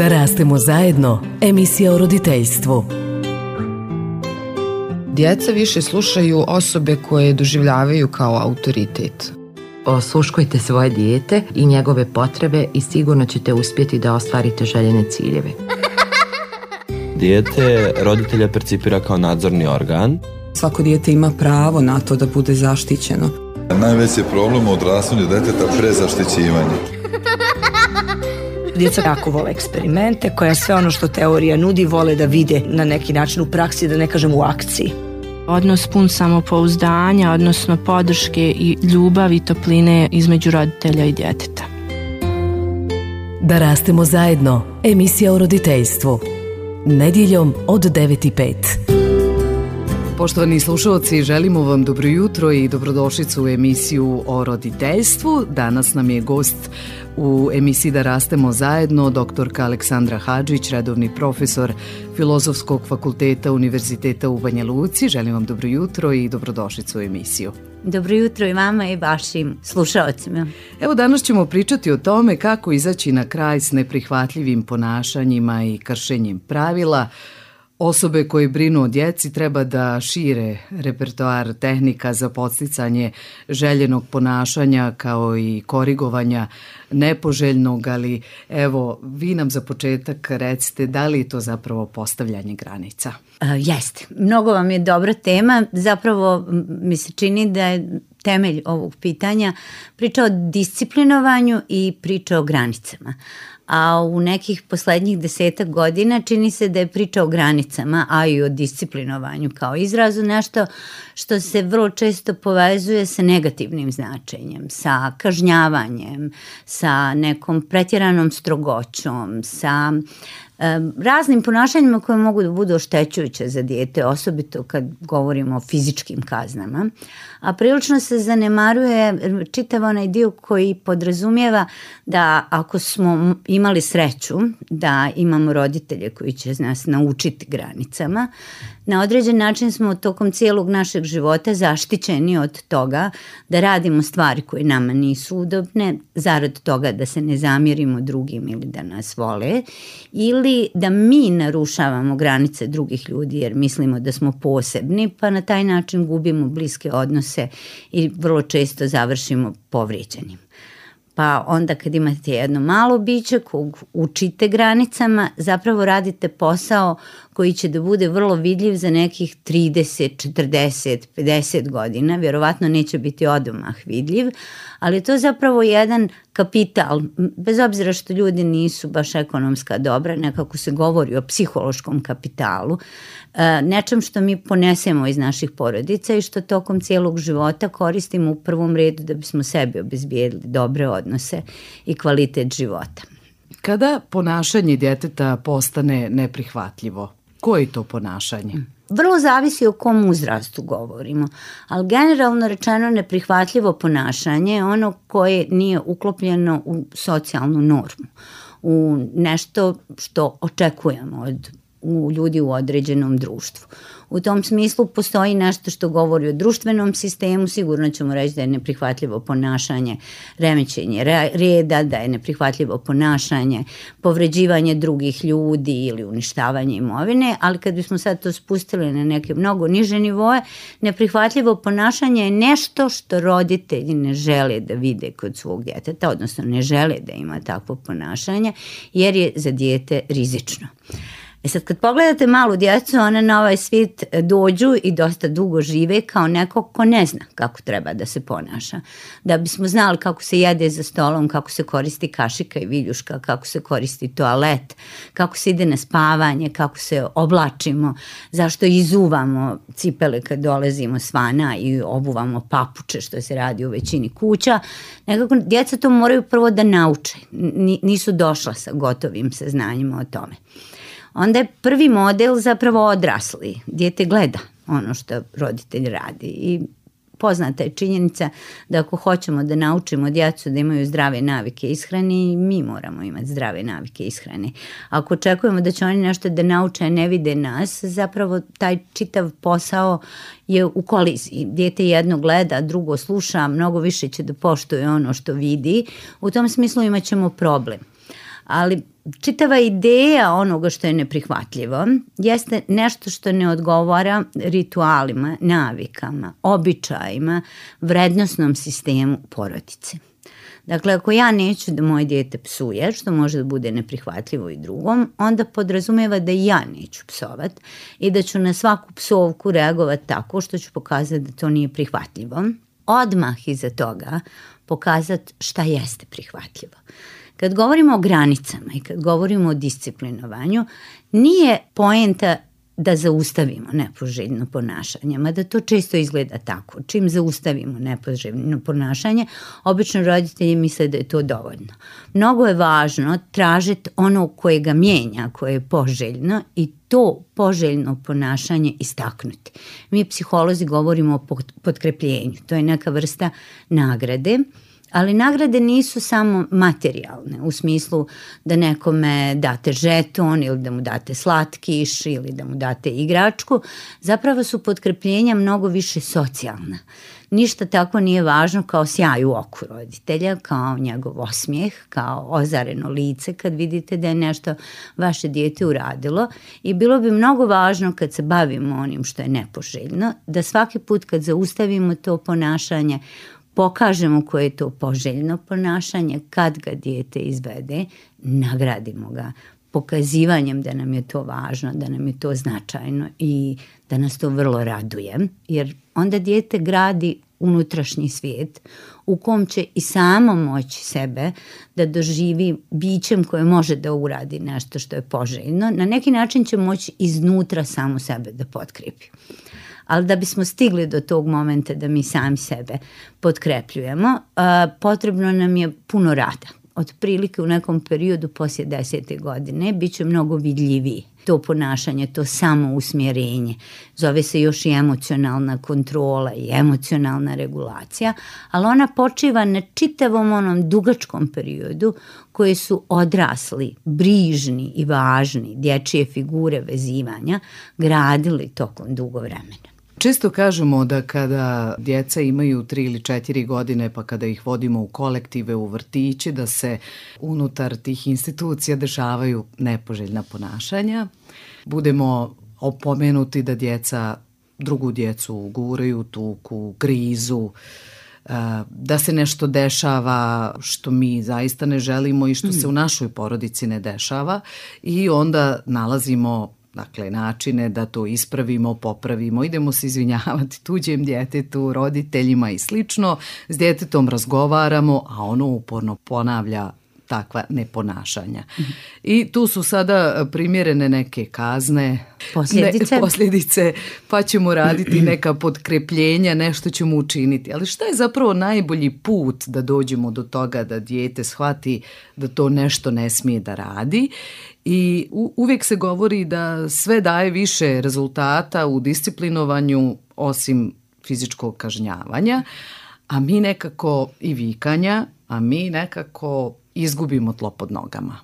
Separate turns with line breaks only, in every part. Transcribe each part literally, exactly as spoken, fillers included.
Da rastemo zajedno, emisija o roditeljstvu.
Djeca više slušaju osobe koje doživljavaju kao autoritet.
Osluškujte svoje dijete i njegove potrebe i sigurno ćete uspjeti da ostvarite željene ciljeve.
Dijete roditelja percipira kao nadzorni organ.
Svako dijete ima pravo na to da bude zaštićeno.
Najveći problem u odrastanju djeteta prezaštićivanje.
Djeca jako vole eksperimente, koja sve ono što teorija nudi vole da vide na neki način u praksi, da ne kažem u akciji.
Odnos pun samopouzdanja, odnosno podrške i ljubavi i topline između roditelja i djeteta.
Da rastemo zajedno, emisija o roditeljstvu. Nedjeljom od devet i pet.
Poštovani slušalci, želimo vam dobro jutro i dobrodošlicu u emisiju o roditeljstvu. Danas nam je gost u emisiji Da rastemo zajedno doktorka Aleksandra Hadžić, redovni profesor Filozofskog fakulteta Univerziteta u Banja Luci. Želim vam dobro jutro i dobrodošlicu u emisiju.
Dobro jutro i vama i vašim slušalcima.
Evo, danas ćemo pričati o tome kako izaći na kraj s neprihvatljivim ponašanjima i kršenjem pravila. Osobe koje brinu o djeci treba da šire repertoar tehnika za podsticanje željenog ponašanja kao i korigovanja nepoželjnog, ali evo, vi nam za početak recite da li je to zapravo postavljanje granica?
Uh, jeste. Mnogo vam je dobra tema. Zapravo mi se čini da je temelj ovog pitanja priča o disciplinovanju i priča o granicama. A u nekih poslednjih desetak godina čini se da je priča o granicama, a i o disciplinovanju kao izrazu nešto što se vrlo često povezuje sa negativnim značenjem, sa kažnjavanjem, sa nekom pretjeranom strogoćom, sa raznim ponašanjima koje mogu da budu oštećujuće za dijete, osobito kad govorimo o fizičkim kaznama. A prilično se zanemaruje čitav onaj dio koji podrazumijeva da ako smo imali sreću da imamo roditelje koji će nas naučiti granicama, na određen način smo tokom cijelog našeg života zaštićeni od toga da radimo stvari koje nama nisu udobne, zarad toga da se ne zamjerimo drugim ili da nas vole, ili da mi narušavamo granice drugih ljudi jer mislimo da smo posebni, pa na taj način gubimo bliske odnose i vrlo često završimo povrijeđenim. Pa onda kad imate jedno malo biće kog učite granicama, zapravo radite posao koji će da bude vrlo vidljiv za nekih trideset, četrdeset, pedeset godina. Vjerovatno neće biti odmah vidljiv, ali je to zapravo jedan kapital, bez obzira što ljudi nisu baš ekonomska dobra, nekako se govori o psihološkom kapitalu, nečem što mi ponesemo iz naših porodica i što tokom cijelog života koristimo u prvom redu da bismo sebi obezbijedili dobre odnose i kvalitet života.
Kada ponašanje djeteta postane neprihvatljivo? Koje je to ponašanje?
Vrlo zavisi o kom uzrastu govorimo, ali generalno rečeno neprihvatljivo ponašanje je ono koje nije uklopljeno u socijalnu normu, u nešto što očekujemo od u ljudi u određenom društvu. U tom smislu postoji nešto što govori o društvenom sistemu, sigurno ćemo reći da je neprihvatljivo ponašanje remećenje reda, da je neprihvatljivo ponašanje povređivanje drugih ljudi ili uništavanje imovine, ali kad bismo sad to spustili na neke mnogo niže nivoe, neprihvatljivo ponašanje je nešto što roditelji ne žele da vide kod svog djeteta, odnosno ne žele da ima takvo ponašanje jer je za dijete rizično. E sad kad pogledate malu djecu, one na ovaj svijet dođu i dosta dugo žive kao neko ko ne zna kako treba da se ponaša. Da bismo znali kako se jede za stolom, kako se koristi kašika i viljuška, kako se koristi toalet, kako se ide na spavanje, kako se oblačimo, zašto izuvamo cipele kad dolazimo s vana i obuvamo papuče što se radi u većini kuća. Nekako djeca to moraju prvo da nauče, nisu došla sa gotovim saznanjima o tome. Onda je prvi model zapravo odrasli. Dijete gleda ono što roditelj radi i poznata je činjenica da ako hoćemo da naučimo djecu da imaju zdrave navike ishrane, mi moramo imati zdrave navike ishrane. Ako očekujemo da će oni nešto da nauče, a ne vide nas, zapravo taj čitav posao je u koliziji. Dijete jedno gleda, drugo sluša, mnogo više će da poštuje ono što vidi. U tom smislu imat ćemo problem. Ali čitava ideja onoga što je neprihvatljivo jeste nešto što ne odgovara ritualima, navikama, običajima, vrednosnom sistemu porodice. Dakle, ako ja neću da moje dijete psuje, što može da bude neprihvatljivo i drugom, onda podrazumeva da i ja neću psovat i da ću na svaku psovku reagovati tako što ću pokazati da to nije prihvatljivo. Odmah iza toga pokazati šta jeste prihvatljivo. Kad govorimo o granicama i kad govorimo o disciplinovanju, nije poenta da zaustavimo nepoželjno ponašanje, mada to često izgleda tako. Čim zaustavimo nepoželjno ponašanje, obično roditelji misle da je to dovoljno. Mnogo je važno tražiti ono koje ga mijenja, koje je poželjno i to poželjno ponašanje istaknuti. Mi psiholozi govorimo o potkrepljenju, to je neka vrsta nagrade, ali nagrade nisu samo materijalne, u smislu da nekome date žeton ili da mu date slatkiš ili da mu date igračku, zapravo su potkrepljenja mnogo više socijalna. Ništa tako nije važno kao sjaj u oku roditelja, kao njegov osmijeh, kao ozareno lice kad vidite da je nešto vaše dijete uradilo i bilo bi mnogo važno kad se bavimo onim što je nepoželjno, da svaki put kad zaustavimo to ponašanje pokažemo koje je to poželjno ponašanje, kad ga dijete izvede, nagradimo ga pokazivanjem da nam je to važno, da nam je to značajno i da nas to vrlo raduje, jer onda dijete gradi unutrašnji svijet u kom će i samo moći sebe da doživi bićem koje može da uradi nešto što je poželjno. Na neki način će moći iznutra samo sebe da potkrepi. Ali da bismo stigli do tog momenta da mi sami sebe potkrepljujemo, potrebno nam je puno rada. Otprilike u nekom periodu poslije desete godine bit će mnogo vidljiviji to ponašanje, to samousmjerenje. Zove se još i emocionalna kontrola i emocionalna regulacija, ali ona počiva na čitavom onom dugačkom periodu koje su odrasli, brižni i važni dječje figure vezivanja gradili tokom dugo vremena.
Često kažemo da kada djeca imaju tri ili četiri godine, pa kada ih vodimo u kolektive, u vrtiće, da se unutar tih institucija dešavaju nepoželjna ponašanja. Budemo opomenuti da djeca drugu djecu guraju, tuku, grizu, da se nešto dešava što mi zaista ne želimo i što se u našoj porodici ne dešava i onda nalazimo dakle načine da to ispravimo, popravimo, idemo se izvinjavati tuđem djetetu, roditeljima i slično, s djetetom razgovaramo, a ono uporno ponavlja takva neponašanja. Mm-hmm. I tu su sada primjerene neke kazne,
posljedice.
Ne, posljedice, pa ćemo raditi neka potkrepljenja, nešto ćemo učiniti. Ali šta je zapravo najbolji put da dođemo do toga da dijete shvati da to nešto ne smije da radi? I u, uvijek se govori da sve daje više rezultata u disciplinovanju osim fizičkog kažnjavanja, a mi nekako i vikanja, a mi nekako izgubimo tlo pod nogama.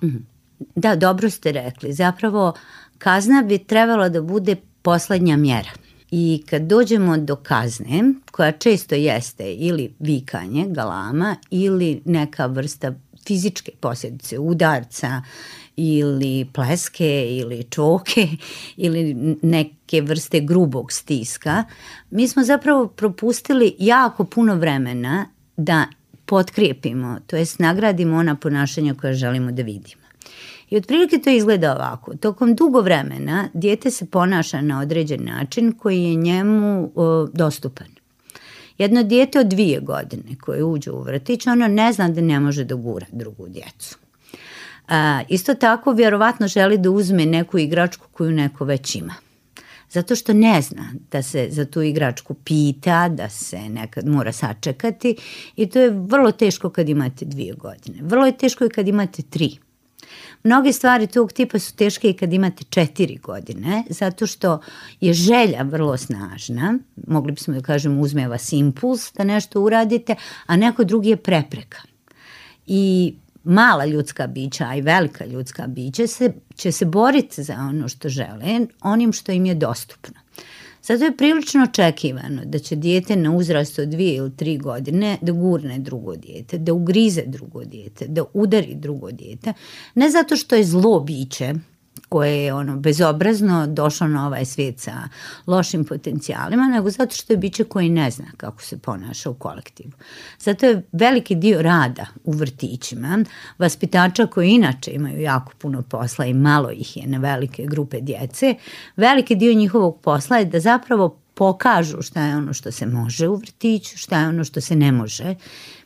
Da, dobro ste rekli. Zapravo kazna bi trebala da bude posljednja mjera. I kad dođemo do kazne, koja često jeste ili vikanje, galama, ili neka vrsta fizičke posljedice, udarca ili pleske ili čoke ili neke vrste grubog stiska, mi smo zapravo propustili jako puno vremena da potkrijepimo, to jest nagradimo ona ponašanja koja želimo da vidimo. I otprilike to izgleda ovako. Tokom dugo vremena dijete se ponaša na određen način koji je njemu o, dostupan. Jedno dijete od dvije godine koje uđe u vrtić, ono ne zna da ne može da gura drugu djecu. A, isto tako vjerovatno želi da uzme neku igračku koju neko već ima. Zato što ne zna da se za tu igračku pita, da se nekad mora sačekati i to je vrlo teško kad imate dvije godine. Vrlo je teško i kad imate tri. Mnoge stvari tog tipa su teške i kad imate četiri godine, zato što je želja vrlo snažna, mogli bismo da kažemo uzme vas impuls da nešto uradite, a neko drugi je prepreka. I mala ljudska bića, a i velika ljudska bića se, će se boriti za ono što žele, onim što im je dostupno. Zato je prilično očekivano da će dijete na uzrastu od dvije ili tri godine da gurne drugo dijete, da ugrize drugo dijete, da udari drugo dijete, ne zato što je zlo biće koje je ono bezobrazno došlo na ovaj svijet sa lošim potencijalima, nego zato što je biće koji ne zna kako se ponaša u kolektivu. Zato je veliki dio rada u vrtićima, vaspitača koji inače imaju jako puno posla i malo ih je na velike grupe djece, veliki dio njihovog posla je da zapravo pokažu šta je ono što se može u vrtiću, šta je ono što se ne može.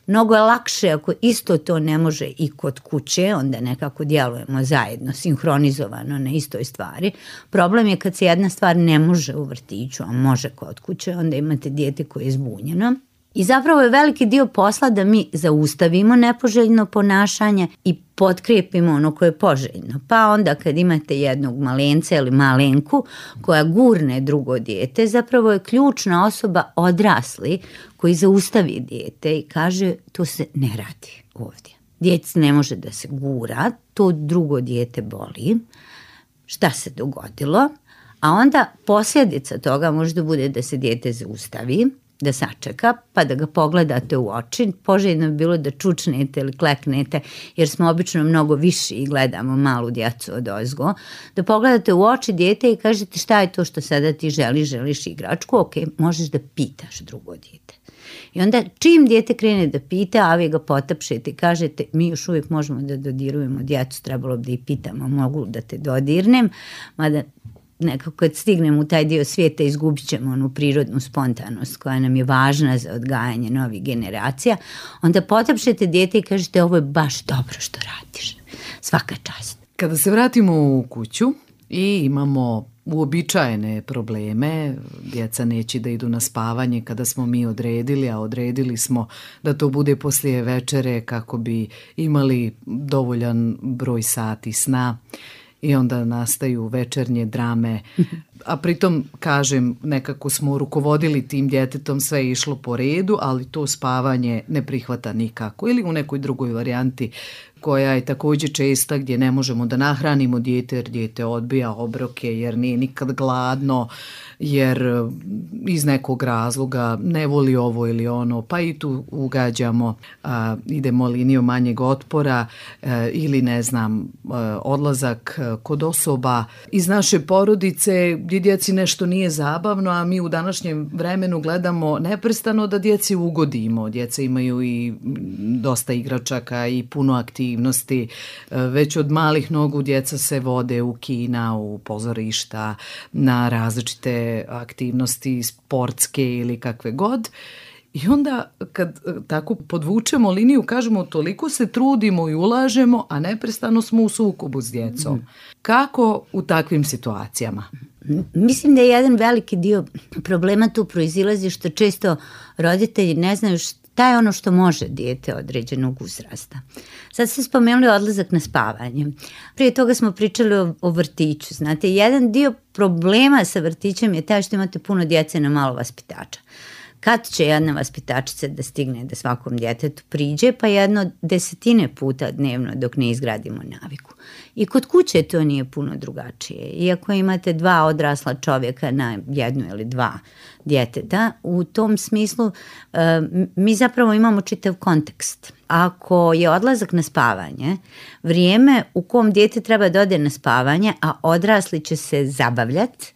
Mnogo je lakše ako isto to ne može i kod kuće, onda nekako djelujemo zajedno, sinhronizovano na istoj stvari. Problem je kad se jedna stvar ne može u vrtiću, a može kod kuće, onda imate dijete koje je zbunjeno. I zapravo je veliki dio posla da mi zaustavimo nepoželjno ponašanje i potkrijepimo ono koje je poželjno. Pa onda kad imate jednog malenca ili malenku koja gurne drugo dijete, zapravo je ključna osoba odrasli koji zaustavi dijete i kaže to se ne radi ovdje. Dijete ne može da se gura, to drugo dijete boli. Šta se dogodilo? A onda posljedica toga može da bude da se dijete zaustavi, da sačeka, pa da ga pogledate u oči. Poželjno bi bilo da čučnete ili kleknete, jer smo obično mnogo viši i gledamo malu djecu od ozgo. Da pogledate u oči dijete i kažete šta je to što sada ti želiš, želiš igračku, ok, možeš da pitaš drugo dijete. I onda čim dijete krene da pita, a vi ga potapšete i kažete mi još uvijek možemo da dodirujemo djecu, trebalo bi da i pitamo, mogu da te dodirnem, mada nekako kad stignemo u taj dio svijeta izgubit ćemo onu prirodnu spontanost koja nam je važna za odgajanje novih generacija, onda potapšete dijete i kažete ovo je baš dobro što radiš. Svaka čast.
Kada se vratimo u kuću i imamo uobičajene probleme, djeca neće da idu na spavanje kada smo mi odredili, a odredili smo da to bude poslije večere kako bi imali dovoljan broj sati sna. I onda nastaju večernje drame, a pritom, kažem, nekako smo rukovodili tim djetetom, sve je išlo po redu, ali to spavanje ne prihvata nikako. Ili u nekoj drugoj varijanti koja je također česta gdje ne možemo da nahranimo dijete jer dijete odbija obroke, jer nije nikad gladno, jer iz nekog razloga ne voli ovo ili ono, pa i tu ugađamo, a, idemo linijom manjeg otpora a, ili ne znam, a, odlazak kod osoba iz naše porodice gdje djeci nešto nije zabavno, a mi u današnjem vremenu gledamo neprestano da djeci ugodimo. Djeca imaju i dosta igračaka i puno aktivnosti. Već od malih nogu djeca se vode u kina, u pozorišta, na različite aktivnosti sportske ili kakve god. I onda kad tako podvučemo liniju, kažemo toliko se trudimo i ulažemo, a neprestano smo u sukobu s djecom. Kako u takvim situacijama?
Mislim da je jedan veliki dio problema tu proizilazi što često roditelji ne znaju šta je ono što može dijete određenog uzrasta. Sad ste spomenuli odlazak na spavanje. Prije toga smo pričali o, o vrtiću. Znate, jedan dio problema sa vrtićem je taj što imate puno djece na malo vaspitača. Kad će jedna vaspitačica da stigne da svakom djetetu priđe, pa jedno desetine puta dnevno dok ne izgradimo naviku. I kod kuće to nije puno drugačije. Iako imate dva odrasla čovjeka na jednu ili dva djeteta, u tom smislu uh, mi zapravo imamo čitav kontekst. Ako je odlazak na spavanje, vrijeme u kom dijete treba da ode na spavanje, a odrasli će se zabavljati,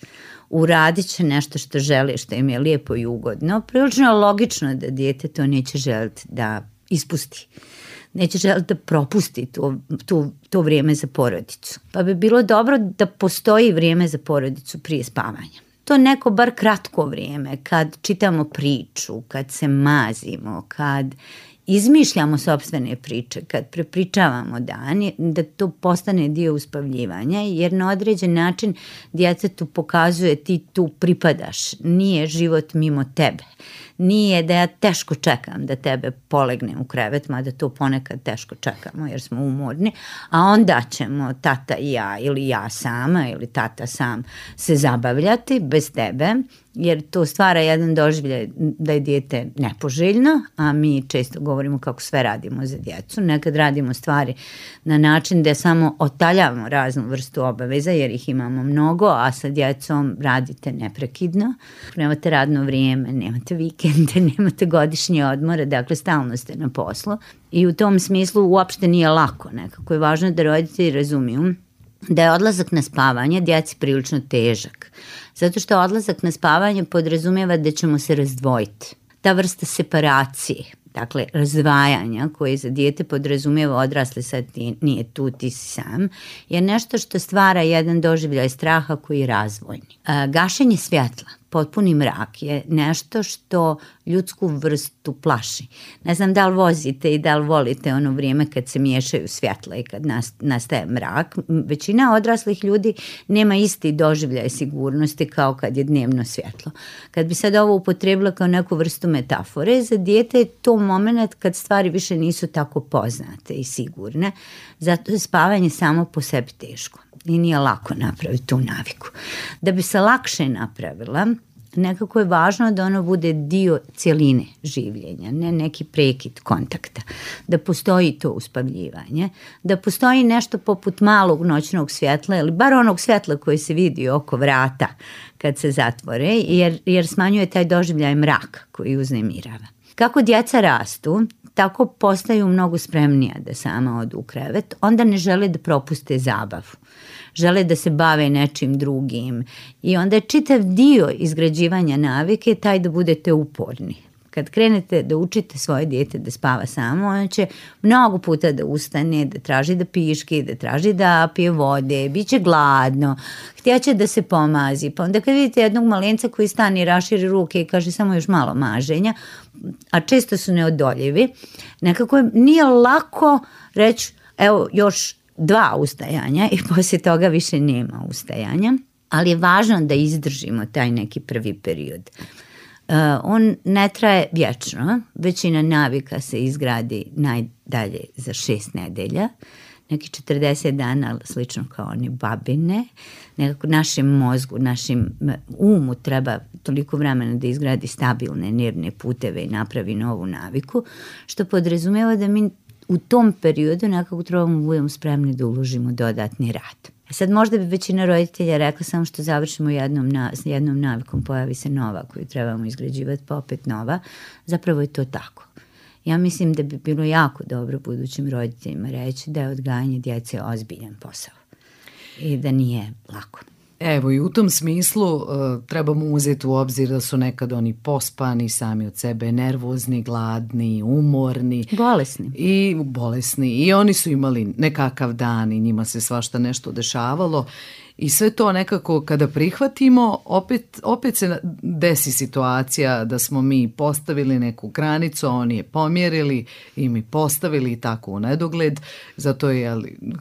uradit će nešto što žele, što im je lijepo i ugodno, prilično je logično da dijete to neće želiti da ispusti. Neće želiti da propusti to, to, to vrijeme za porodicu. Pa bi bilo dobro da postoji vrijeme za porodicu prije spavanja. To neko bar kratko vrijeme, kad čitamo priču, kad se mazimo, kad izmišljamo sopstvene priče, kad prepričavamo dan, da to postane dio uspavljivanja, jer na određen način djetetu pokazuje ti tu pripadaš, nije život mimo tebe. Nije da ja teško čekam da tebe polegnem u krevet, mada to ponekad teško čekamo jer smo umorni, a onda ćemo tata i ja ili ja sama ili tata sam se zabavljati bez tebe jer to stvara jedan doživljaj da je dijete nepoželjno, a mi često govorimo kako sve radimo za djecu. Nekad radimo stvari na način da samo otaljavamo raznu vrstu obaveza jer ih imamo mnogo, a sa djecom radite neprekidno. Nemate radno vrijeme, nemate vikende, nemate godišnje odmore, dakle stalno ste na poslu i u tom smislu uopšte nije lako. Nekako je važno da roditelji razumiju da je odlazak na spavanje djeci prilično težak. Zato što odlazak na spavanje podrazumijeva da ćemo se razdvojiti. Ta vrsta separacije, dakle razdvajanja koje za dijete podrazumijeva odrasli sad ti, nije tu, ti si sam, je nešto što stvara jedan doživljaj straha koji je razvojni. A, gašenje svjetla, potpuni mrak je nešto što ljudsku vrstu plaši. Ne znam da li vozite i da li volite ono vrijeme kad se miješaju svjetla i kad nastaje mrak. Većina odraslih ljudi nema isti doživljaj sigurnosti kao kad je dnevno svjetlo. Kad bi sad ovo upotrebila kao neku vrstu metafore, za dijete je to moment kad stvari više nisu tako poznate i sigurne. Zato je spavanje samo po sebi teško i nije lako napraviti tu naviku. Da bi se lakše napravila, nekako je važno da ono bude dio cjeline življenja, ne neki prekid kontakta, da postoji to uspavljivanje, da postoji nešto poput malog noćnog svjetla ili bar onog svjetla koji se vidi oko vrata kad se zatvore, jer, jer smanjuje taj doživljaj mraka koji uznemirava. Kako djeca rastu, tako postaju mnogo spremnija da sama odu u krevet, onda ne žele da propuste zabavu. Žele da se bave nečim drugim i onda je čitav dio izgrađivanja navike taj da budete uporni. Kad krenete da učite svoje dijete da spava samo, ono će mnogo puta da ustane, da traži da piški, da traži da pije vode, bit će gladno, htjeće da se pomazi. Pa onda kad vidite jednog malenca koji stane i raširi ruke i kaže samo još malo maženja, a često su neodoljivi, nekako nije lako reći evo još dva ustajanja i poslije toga više nema ustajanja, ali je važno da izdržimo taj neki prvi period. Uh, on ne traje vječno, većina navika se izgradi najdalje za šest nedelja, neki četrdeset dana, slično kao one babine. Nekako našem mozgu, našem umu treba toliko vremena da izgradi stabilne nervne puteve i napravi novu naviku, što podrazumijeva da mi u tom periodu nekako trebamo budemo spremni da uložimo dodatni rad. Sad možda bi većina roditelja rekla samo što završimo jednom, na, jednom navikom, pojavi se nova koju trebamo izgrađivati, pa opet nova. Zapravo je to tako. Ja mislim da bi bilo jako dobro budućim roditeljima reći da je odgajanje djece ozbiljan posao i da nije lako.
Evo i u tom smislu uh, trebamo uzeti u obzir da su nekad oni pospani, sami od sebe nervozni, gladni, umorni.
Bolesni.
I bolesni. I oni su imali nekakav dan i njima se svašta nešto dešavalo. I sve to nekako kada prihvatimo, opet, opet se desi situacija da smo mi postavili neku granicu, oni je pomjerili i mi postavili i tako u nedogled. Zato je,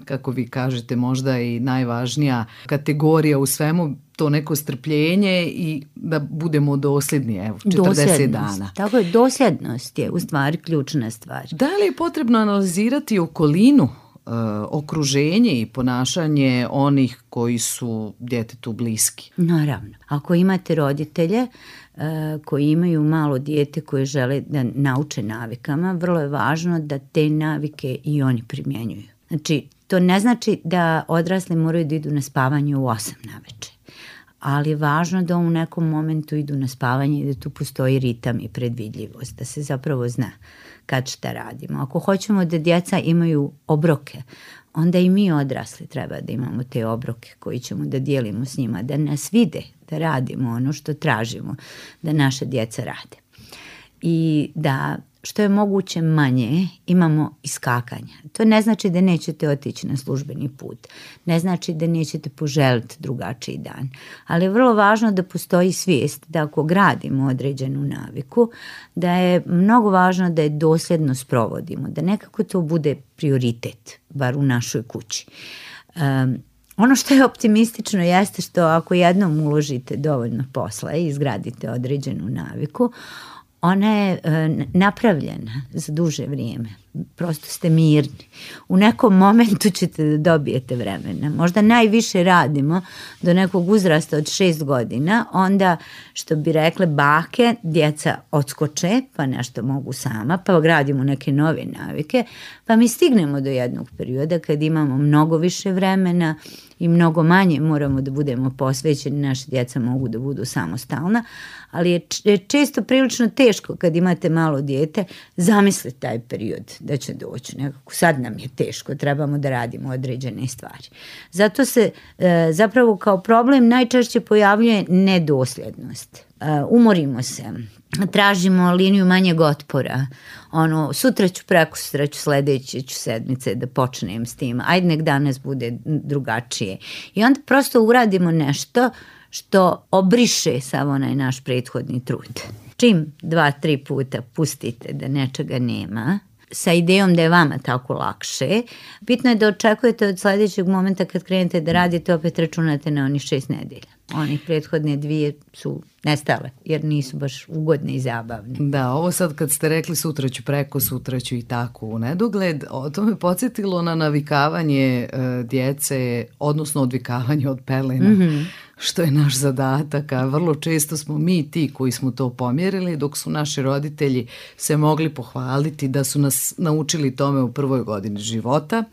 kako vi kažete, možda i najvažnija kategorija u svemu to neko strpljenje i da budemo dosljedni, evo, četrdeset dana.
Tako je, dosljednost je u stvari ključna stvar.
Da li je potrebno analizirati okolinu, Uh, okruženje i ponašanje onih koji su djetetu bliski?
Naravno. Ako imate roditelje uh, koji imaju malo dijete koje žele da nauče navikama, vrlo je važno da te navike i oni primjenjuju. Znači, to ne znači da odrasli moraju da idu na spavanje u osam naveče, ali je važno da u nekom momentu idu na spavanje i da tu postoji ritam i predvidljivost, da se zapravo zna kad šta radimo. Ako hoćemo da djeca imaju obroke, onda i mi odrasli treba da imamo te obroke koji ćemo da dijelimo s njima, da nas vide, da radimo ono što tražimo da naša djeca rade. I da što je moguće manje imamo iskakanja. To ne znači da nećete otići na službeni put, ne znači da nećete poželiti drugačiji dan, ali je vrlo važno da postoji svijest da ako gradimo određenu naviku, da je mnogo važno da je dosljedno sprovodimo, da nekako to bude prioritet, bar u našoj kući. Um, Ono što je optimistično jeste što ako jednom uložite dovoljno posla i izgradite određenu naviku, ona je e, napravljena za duže vrijeme. prosto ste mirni. U nekom momentu ćete da dobijete vremena. Možda najviše radimo do nekog uzrasta od šest godina, onda što bi rekle bake, djeca odskoče, pa nešto mogu sama, pa gradimo neke nove navike, pa mi stignemo do jednog perioda kad imamo mnogo više vremena i mnogo manje moramo da budemo posvećeni, naše djeca mogu da budu samostalna, ali je često prilično teško kad imate malo dijete zamisliti taj period da će doći. Nekako sad nam je teško, trebamo da radimo određene stvari. Zato se e, zapravo kao problem najčešće pojavljuje nedosljednost. E, umorimo se, tražimo liniju manjeg otpora, ono, sutra ću, preko sutra ću, sledeće ću sedmice da počnem s tim, ajde nek danas bude drugačije. I onda prosto uradimo nešto što obriše sav onaj naš prethodni trud. Čim dva, tri puta pustite da nečega nema, sa idejom da je vama tako lakše, bitno je da očekujete od sledećeg momenta kad krenete da radite, opet računate na onih šest nedelja. Onih prethodne dvije su nestale, jer nisu baš ugodne i zabavne.
Da, ovo sad kad ste rekli sutra ću, preko sutra ću i tako u nedogled, to me podsjetilo na navikavanje e, djece, odnosno odvikavanje od pelena, mm-hmm. što je naš zadatak, a vrlo često smo mi ti koji smo to pomjerili, dok su naši roditelji se mogli pohvaliti da su nas naučili tome u prvoj godini života,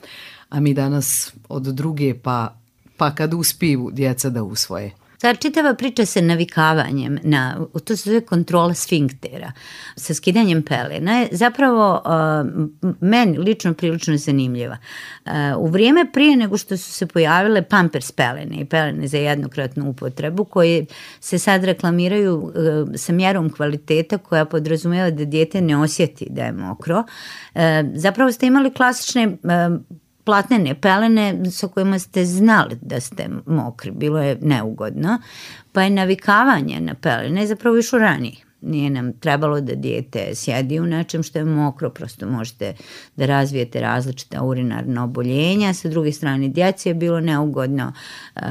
a mi danas od druge pa, pa kad uspiju djeca da usvoje.
Ta čitava priča sa navikavanjem, na, to se zove kontrola sfinktera, sa skidanjem pelena je zapravo uh, meni lično prilično zanimljiva. Uh, u vrijeme prije nego što su se pojavile pampers pelene i pelene za jednokratnu upotrebu, koje se sad reklamiraju uh, sa mjerom kvaliteta koja podrazumijeva da dijete ne osjeti da je mokro, uh, zapravo ste imali klasične uh, platnene pelene sa kojima ste znali da ste mokri, bilo je neugodno, pa je navikavanje na pelene zapravo išlo ranije. Nije nam trebalo da dijete sjedi u nečem što je mokro, prosto možete da razvijete različita urinarna oboljenja. Sa druge strane, djeci je bilo neugodno, um,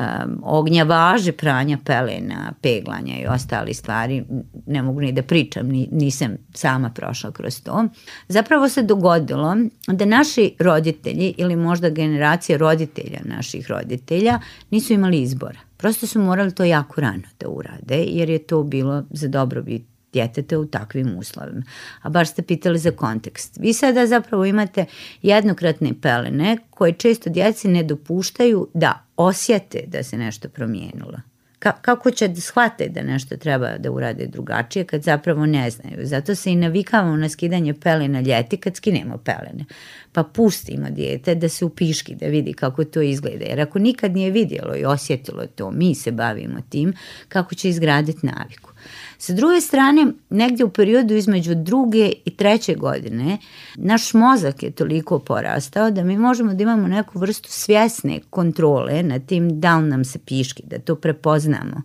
ognjavaže pranja pelena, peglanja i ostali stvari, ne mogu ni da pričam, ni, nisam sama prošla kroz to. Zapravo se dogodilo da naši roditelji ili možda generacija roditelja naših roditelja nisu imali izbora. Prosto su morali to jako rano da urade, jer je to bilo za dobrobit djeteta u takvim uslovima. A baš ste pitali za kontekst. Vi sada zapravo imate jednokratne pelene koje često djeci ne dopuštaju da osjete da se nešto promijenilo. Ka- kako će da shvate da nešto treba da urade drugačije kad zapravo ne znaju. Zato se i navikavamo na skidanje pelena ljeti kad skinemo pelene. Pa pustimo dijete da se upiški, da vidi kako to izgleda. Jer ako nikad nije vidjelo i osjetilo to, mi se bavimo tim kako će izgraditi naviku. Sa druge strane, negdje u periodu između druge i treće godine, naš mozak je toliko porastao da mi možemo da imamo neku vrstu svjesne kontrole na tim da li nam se piški, da to prepoznamo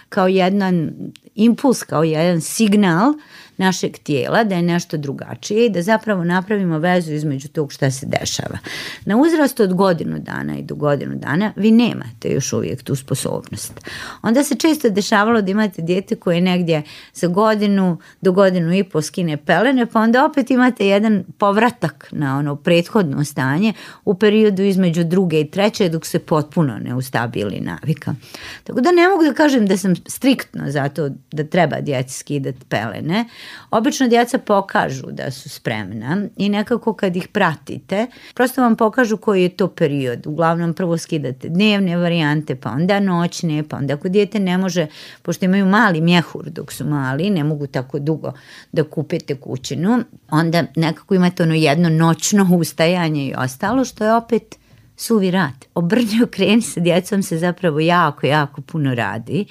kao jedan impuls, kao jedan signal našeg tijela da je nešto drugačije i da zapravo napravimo vezu između tog šta se dešava. Na uzrastu od godinu dana i do godinu dana vi nemate još uvijek tu sposobnost. Onda se često dešavalo da imate dijete koje negdje za godinu do godinu i po skine pelene, pa onda opet imate jedan povratak na ono prethodno stanje u periodu između druge i treće dok se potpuno ne ustabili navika. Tako da ne mogu da kažem da sam striktno zato da treba djeci skidati pelene. Obično djeca pokažu da su spremna i nekako kad ih pratite, prosto vam pokažu koji je to period. Uglavnom prvo skidate dnevne varijante, pa onda noćne, pa onda ako dijete ne može, pošto imaju mali mjehur dok su mali, ne mogu tako dugo da kupite kućinu, onda nekako imate ono jedno noćno ustajanje i ostalo, što je opet suvi rad. Obrni okreni sa djecom se zapravo jako, jako puno radi,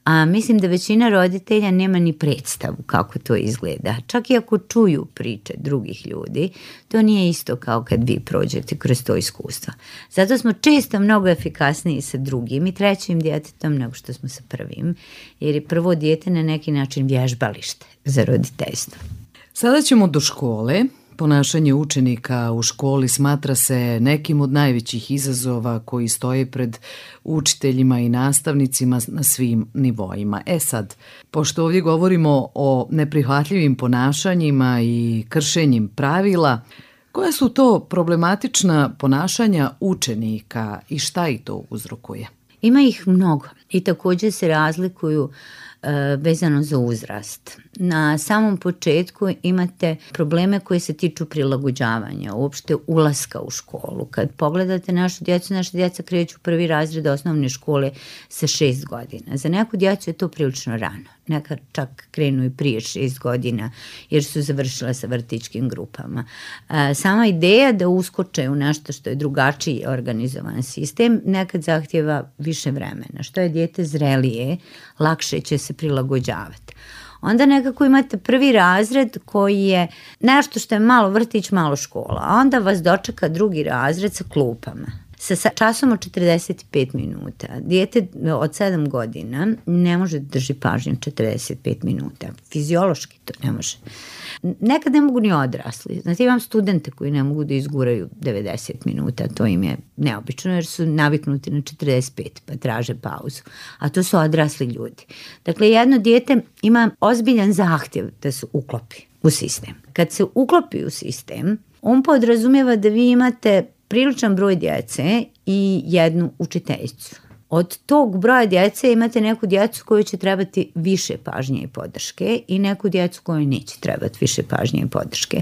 a mislim da većina roditelja nema ni predstavu kako to izgleda. Čak i ako čuju priče drugih ljudi, to nije isto kao kad vi prođete kroz to iskustvo. Zato smo često mnogo efikasniji sa drugim i trećim djetetom nego što smo sa prvim, jer je prvo dijete na neki način vježbalište za roditeljstvo.
Sada ćemo do škole. Ponašanje učenika u školi smatra se nekim od najvećih izazova koji stoje pred učiteljima i nastavnicima na svim nivoima. E sad, pošto ovdje govorimo o neprihvatljivim ponašanjima i kršenjem pravila, Koja su to problematična ponašanja učenika i šta ih to uzrokuje?
Ima ih mnogo i također se razlikuju e, vezano za uzrast. Na samom početku imate probleme koje se tiču prilagođavanja, uopšte ulaska u školu. Kad pogledate našu djecu, naša djeca kreću prvi razred osnovne škole sa šest godina. Za neku djecu je to prilično rano. Neka čak krenu i prije šest godina jer su završila sa vrtićkim grupama. E, sama ideja da uskoče u nešto što je drugačiji organizovan sistem nekad zahtjeva više vremena. Što je dijete zrelije, lakše će se prilagođavati. Onda nekako imate prvi razred koji je nešto što je malo vrtić, malo škola, a onda vas dočeka drugi razred sa klupama. Sa časom od četrdeset pet minuta. Dijete od sedam godina ne može da drži pažnju četrdeset pet minuta. Fiziološki to ne može. Nekad ne mogu ni odrasli. Znate, imam studente koji ne mogu da izguraju devedeset minuta. To im je neobično jer su naviknuti na četrdeset pet pa traže pauzu. A to su odrasli ljudi. Dakle, jedno dijete ima ozbiljan zahtjev da se uklopi u sistem. Kad se uklopi u sistem, on podrazumijeva da vi imate priličan broj djece i jednu učiteljicu. Od tog broja djece imate neku djecu koju će trebati više pažnje i podrške i neku djecu koju neće trebati više pažnje i podrške.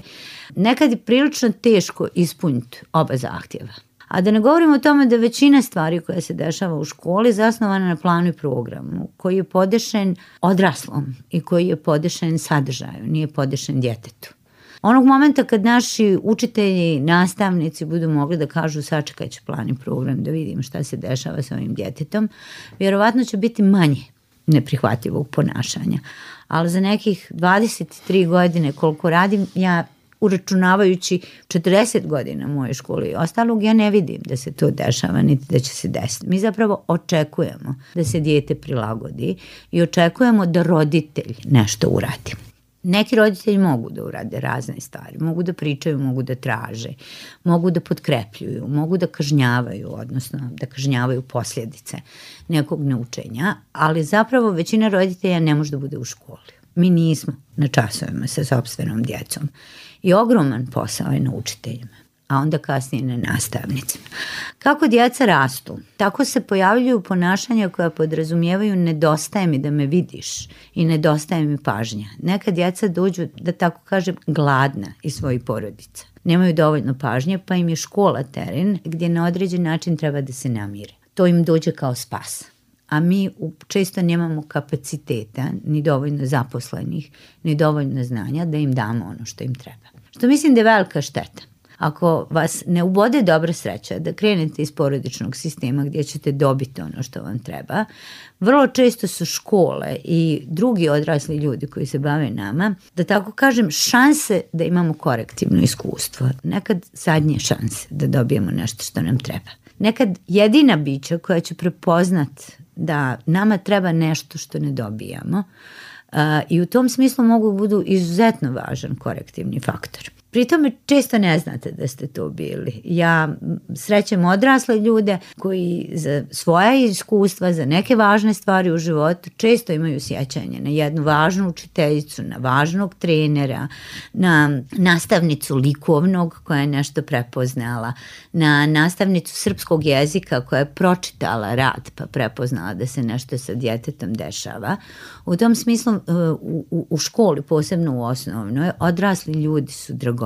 Nekad je prilično teško ispuniti oba zahtjeva. A da ne govorimo o tome da većina stvari koja se dešava u školi je zasnovana na planu i programu koji je podešen odraslom i koji je podešen sadržaju, nije podešen djetetu. Onog momenta kad naši učitelji, nastavnici budu mogli da kažu sačekat ću plan i program da vidim šta se dešava sa ovim djetetom, vjerovatno će biti manje neprihvatljivog ponašanja. Ali za nekih dvadeset tri godine koliko radim, ja uračunavajući četrdeset godina moje škole i ostalog, ja ne vidim da se to dešava niti da će se desiti. Mi zapravo očekujemo da se dijete prilagodi i očekujemo da roditelj nešto uradi. Neki roditelji mogu da urade razne stvari, mogu da pričaju, mogu da traže, mogu da potkrepljuju, mogu da kažnjavaju, odnosno da kažnjavaju posljedice nekog neučenja, ali zapravo većina roditelja ne može da bude u školi. Mi nismo na časovima sa sopstvenom djecom i ogroman posao je na učiteljima, a onda kasnije na nastavnicima. Kako djeca rastu, tako se pojavljuju ponašanja koja podrazumijevaju nedostaje mi da me vidiš i nedostaje mi pažnja. Neka djeca dođu, da tako kažem, gladna iz svojih porodica. Nemaju dovoljno pažnje, pa im je škola teren gdje na određen način treba da se namire. To im dođe kao spas. A mi često nemamo kapaciteta, ni dovoljno zaposlenih, ni dovoljno znanja da im damo ono što im treba. Što mislim da je velika šteta. Ako vas ne ubode dobra sreća da krenete iz porodičnog sistema gdje ćete dobiti ono što vam treba, vrlo često su škole i drugi odrasli ljudi koji se bave nama, da tako kažem, šanse da imamo korektivno iskustvo. Nekad zadnje šanse da dobijemo nešto što nam treba. Nekad jedina bića koja će prepoznat da nama treba nešto što ne dobijamo uh, i u tom smislu mogu budu izuzetno važan korektivni faktor. Pri tome često ne znate da ste to bili. Ja srećem odrasle ljude koji za svoja iskustva, za neke važne stvari u životu često imaju sjećanje na jednu važnu učiteljicu, na važnog trenera, na nastavnicu likovnog koja je nešto prepoznala, na nastavnicu srpskog jezika koja je pročitala rad pa prepoznala da se nešto sa djetetom dešava. U tom smislu u, u, u školi, posebno u osnovnoj, odrasli ljudi su dragocjeni.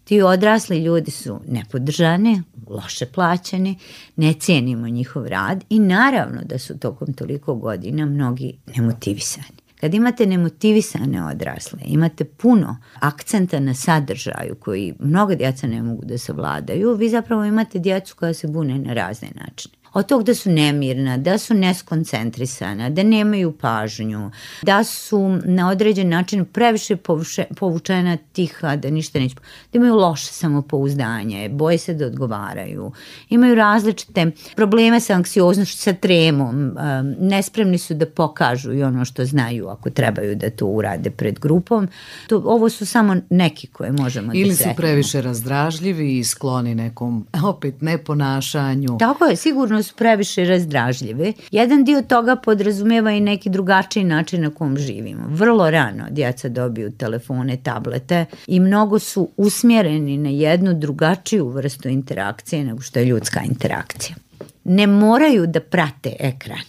Ti odrasli ljudi su nepodržani, loše plaćeni, ne cijenimo njihov rad i naravno da su tokom toliko godina mnogi nemotivisani. Kad imate nemotivisane odrasle, imate puno akcenta na sadržaju koji mnoga djeca ne mogu da savladaju, vi zapravo imate djecu koja se bune na razne načine. Od tog da su nemirna, da su neskoncentrisana, da nemaju pažnju, da su na određen način previše povuše, povučena tiha, da ništa neće, da imaju loše samopouzdanje, boje se da odgovaraju, imaju različite probleme sa anksioznošću, sa tremom, nespremni su da pokažu i ono što znaju ako trebaju da to urade pred grupom. To, ovo su samo neki koje možemo
Ili
da sretimo.
Ili su previše razdražljivi i skloni nekom, opet, neponašanju.
Tako je, sigurno su previše razdražljive. Jedan dio toga podrazumeva i neki drugačiji način na kom živimo. Vrlo rano djeca dobiju telefone, tablete i mnogo su usmjereni na jednu drugačiju vrstu interakcije nego što je ljudska interakcija. Ne moraju da prate ekran.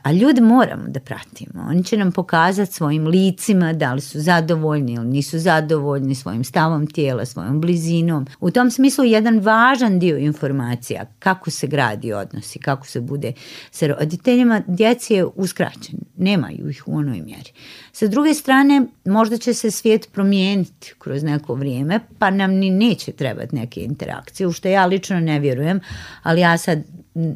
A ljude moramo da pratimo. Oni će nam pokazati svojim licima da li su zadovoljni ili nisu zadovoljni, svojim stavom tijela, svojom blizinom. U tom smislu jedan važan dio informacija kako se gradi odnosi, kako se bude sa roditeljima, djeci je uskraćen. Nemaju ih u onoj mjeri. Sa druge strane, možda će se svijet promijeniti kroz neko vrijeme, pa nam ni neće trebati neke interakcije, u što ja lično ne vjerujem, ali ja sad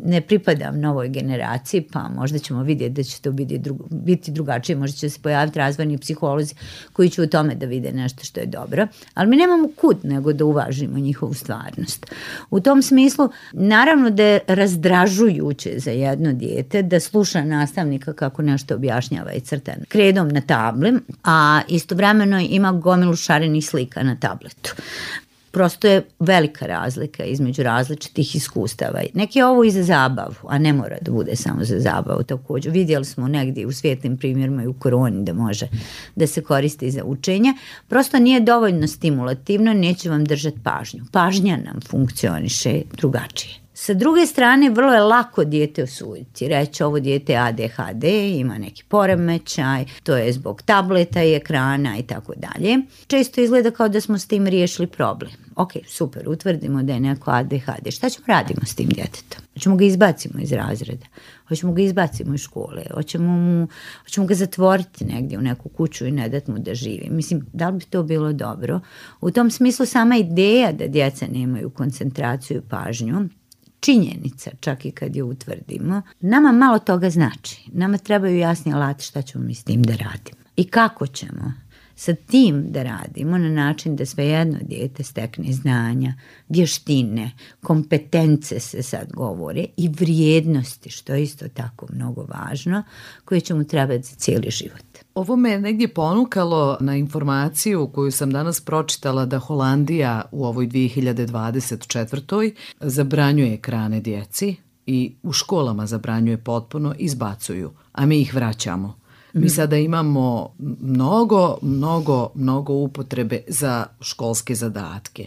ne pripadam novoj generaciji, pa možda ćemo vidjeti da će to biti, drugo, biti drugačije, možda će se pojaviti razvojni psiholozi koji će u tome da vide nešto što je dobro, ali mi nemamo kud nego da uvažimo njihovu stvarnost. U tom smislu, naravno da je razdražujuće za jedno dijete da sluša nastavnika kako nešto objašnjava i crta kredom na tabli, a istovremeno ima gomilu šarenih slika na tabletu. Prosto je velika razlika između različitih iskustava. Neki je ovo i za zabavu, a ne mora da bude samo za zabavu. Također vidjeli smo negdje u svijetlim primjerima i u koroni da može da se koristi za učenje. Prosto nije dovoljno stimulativno, neće vam držati pažnju. Pažnja nam funkcioniše drugačije. Sa druge strane, vrlo je lako dijete osuditi. Reći ovo dijete je A D H D, ima neki poremećaj, to je zbog tableta i ekrana i tako dalje. Često izgleda kao da smo s tim riješili problem. Ok, super, utvrdimo da je neko A D H D. Šta ćemo radimo s tim djetetom? Hoćemo ga izbacimo iz razreda, hoćemo ga izbacimo iz škole, hoćemo, mu, hoćemo ga zatvoriti negdje u neku kuću i ne dati mu da živi. Mislim, da li bi to bilo dobro? U tom smislu sama ideja da djeca nemaju koncentraciju i pažnju, činjenica, čak i kad je utvrdimo, nama malo toga znači. Nama trebaju jasni alati šta ćemo mi s tim da radimo. I kako ćemo sa tim da radimo na način da svejedno dijete stekne znanja, vještine, kompetence se sad govore i vrijednosti, što je isto tako mnogo važno, koje će mu trebati za cijeli život.
Ovo me negdje ponukalo na informaciju koju sam danas pročitala da Holandija u ovoj dvije hiljade dvadeset četvrtoj zabranjuje ekrane djeci i u školama zabranjuje potpuno, izbacuju, a mi ih vraćamo. Mi sada imamo mnogo, mnogo, mnogo upotrebe za školske zadatke.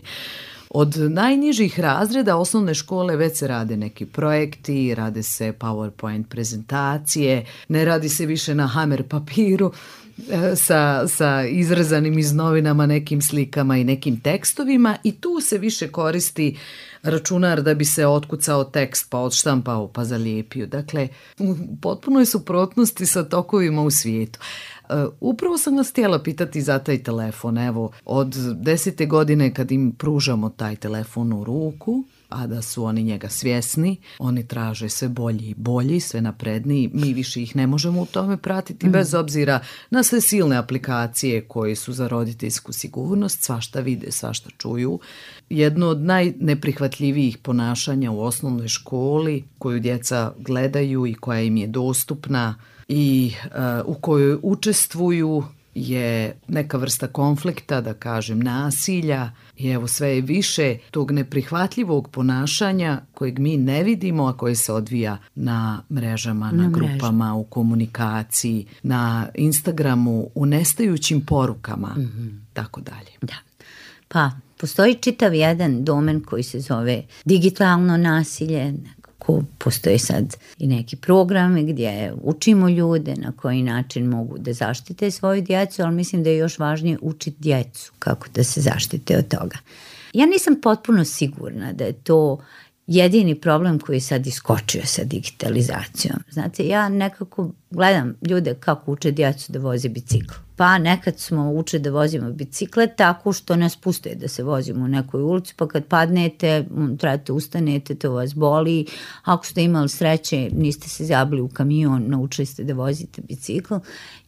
Od najnižih razreda osnovne škole već se rade neki projekti, rade se PowerPoint prezentacije, ne radi se više na hamer papiru sa, sa izrezanim iz novinama nekim slikama i nekim tekstovima i tu se više koristi računar da bi se otkucao tekst, pa odštampao, pa zalijepio. Dakle, u potpunoj suprotnosti sa tokovima u svijetu. Uh, upravo sam vas htjela pitati za taj telefon. Evo, od desete godine kad im pružamo taj telefon u ruku, a da su oni njega svjesni, oni traže sve bolji i bolji, sve napredniji, mi više ih ne možemo u tome pratiti, mm. bez obzira na sve silne aplikacije koje su za roditeljsku sigurnost, svašta vide, svašta čuju. Jedno od najneprihvatljivijih ponašanja u osnovnoj školi koju djeca gledaju i koja im je dostupna i uh, u kojoj učestvuju je neka vrsta konflikta, da kažem nasilja i evo sve je više tog neprihvatljivog ponašanja kojeg mi ne vidimo, a koje se odvija na mrežama, na, na grupama, mrežu. U komunikaciji, na Instagramu, u nestajućim porukama, mm-hmm. tako dalje.
Da. Pa, postoji čitav jedan domen koji se zove digitalno nasilje, ko postoje sad i neki programe gdje učimo ljude na koji način mogu da zaštite svoju djecu, ali mislim da je još važnije učiti djecu kako da se zaštite od toga. Ja nisam potpuno sigurna da je to jedini problem koji je sad iskočio sa digitalizacijom. Znate, ja nekako gledam ljude kako uče djecu da voze bicikl. Pa nekad smo uče da vozimo bicikle tako što nas puste da se vozimo u nekoj ulici, pa kad padnete, trebate ustanete, to vas boli. Ako ste imali sreće, niste se zabili u kamion, naučili ste da vozite bicikl.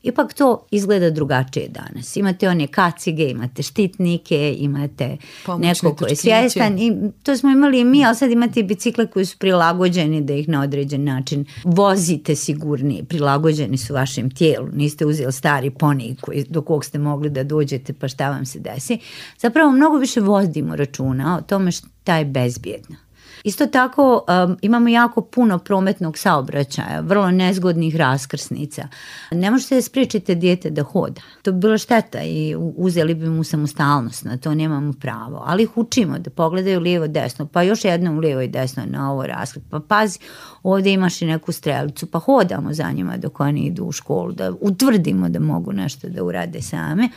Ipak to izgleda drugačije danas. Imate one kacige, imate štitnike, imate pomoćne neko ko je svjestan. I to smo imali i mi, ali sad imate bicikle koji su prilagođeni da ih na određen način vozite sigurnije. Prilagođeni su vašem tijelu. Niste uzeli stari ponij koji, do kog ste mogli da dođete pa šta vam se desi. Zapravo mnogo više vodimo računa o tome šta je bezbjedno. Isto tako um, imamo jako puno prometnog saobraćaja, vrlo nezgodnih raskrsnica. Ne možete da spriječite dijete da hoda. To bi bila šteta i uzeli bi mu samostalnost, na to nemamo pravo. Ali ih učimo da pogledaju lijevo desno, pa još jednom lijevo i desno na ovo raskrsnicu. Pa pazi, ovdje imaš i neku strelicu, pa hodamo za njima dok oni idu u školu, da utvrdimo da mogu nešto da urade same.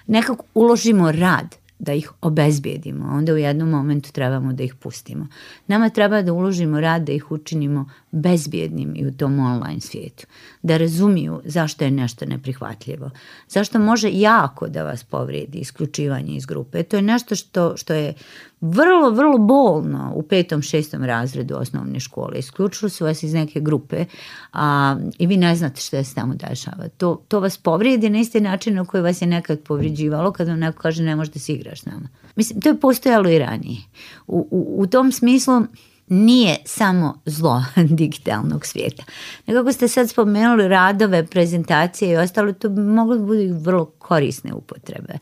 Nekako uložimo rad da ih obezbijedimo, onda u jednom momentu trebamo da ih pustimo. Nama treba da uložimo rad da ih učinimo bezbjednim i u tom online svijetu. Da razumiju zašto je nešto neprihvatljivo. Zašto može jako da vas povrijedi isključivanje iz grupe. To je nešto što, što je vrlo, vrlo bolno u petom, šestom razredu osnovne škole. Isključili su vas iz neke grupe a, i vi ne znate što se tamo dešava. To, to vas povrijedi na isti način na koji vas je nekad povrijeđivalo kad vam neko kaže ne možeš da si igraš s nama. Mislim, to je postojalo i ranije. U, u, u tom smislu nije samo zlo digitalnog svijeta. Nekako ste sad spomenuli radove, prezentacije i ostalo, to bi moglo da bude vrlo korisne upotrebe.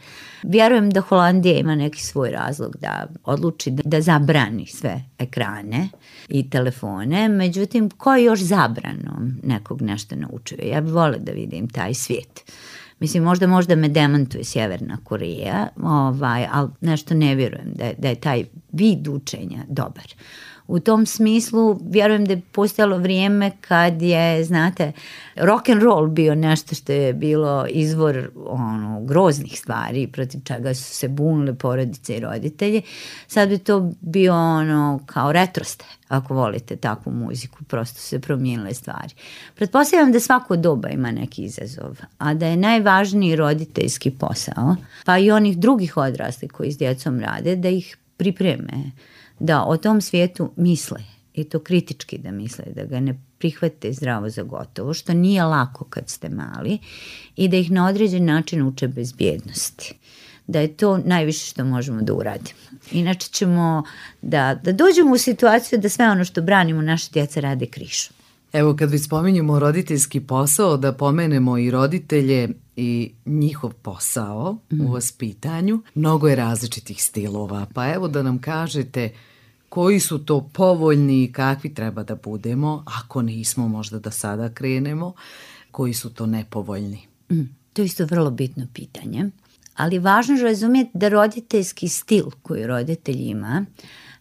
Vjerujem da Holandija ima neki svoj razlog da odluči da, da zabrani sve ekrane i telefone, međutim, ko je još zabranom nekog nešto naučio? Ja bih voljela da vidim taj svijet. Mislim, možda možda me demantuje Sjeverna Koreja, ovaj, ali nešto ne vjerujem da je, da je taj vid učenja dobar. U tom smislu vjerujem da je postojalo vrijeme kad je, znate, rock and roll bio nešto što je bilo izvor ono, groznih stvari protiv čega su se bunile porodice i roditelji. Sad bi to bio ono kao retroste, ako volite takvu muziku, prosto se promijenile stvari. Pretpostavljam da svako doba ima neki izazov, a da je najvažniji roditeljski posao, pa i onih drugih odraslih koji s djecom rade, da ih pripreme, da o tom svijetu misle i to kritički da misle, da ga ne prihvate zdravo za gotovo, što nije lako kad ste mali i da ih na određen način uče bezbjednosti. Da je to najviše što možemo da uradimo. Inače ćemo da, da dođemo u situaciju da sve ono što branimo naše djeca rade krišom.
Evo kad već spominjemo roditeljski posao, da pomenemo i roditelje i njihov posao mm. u vaspitanju. Mnogo je različitih stilova, pa evo da nam kažete koji su to povoljni i kakvi treba da budemo, ako nismo možda da sada krenemo, koji su to nepovoljni.
Mm. To je isto vrlo bitno pitanje, ali važno je razumjeti da roditeljski stil koji roditelj ima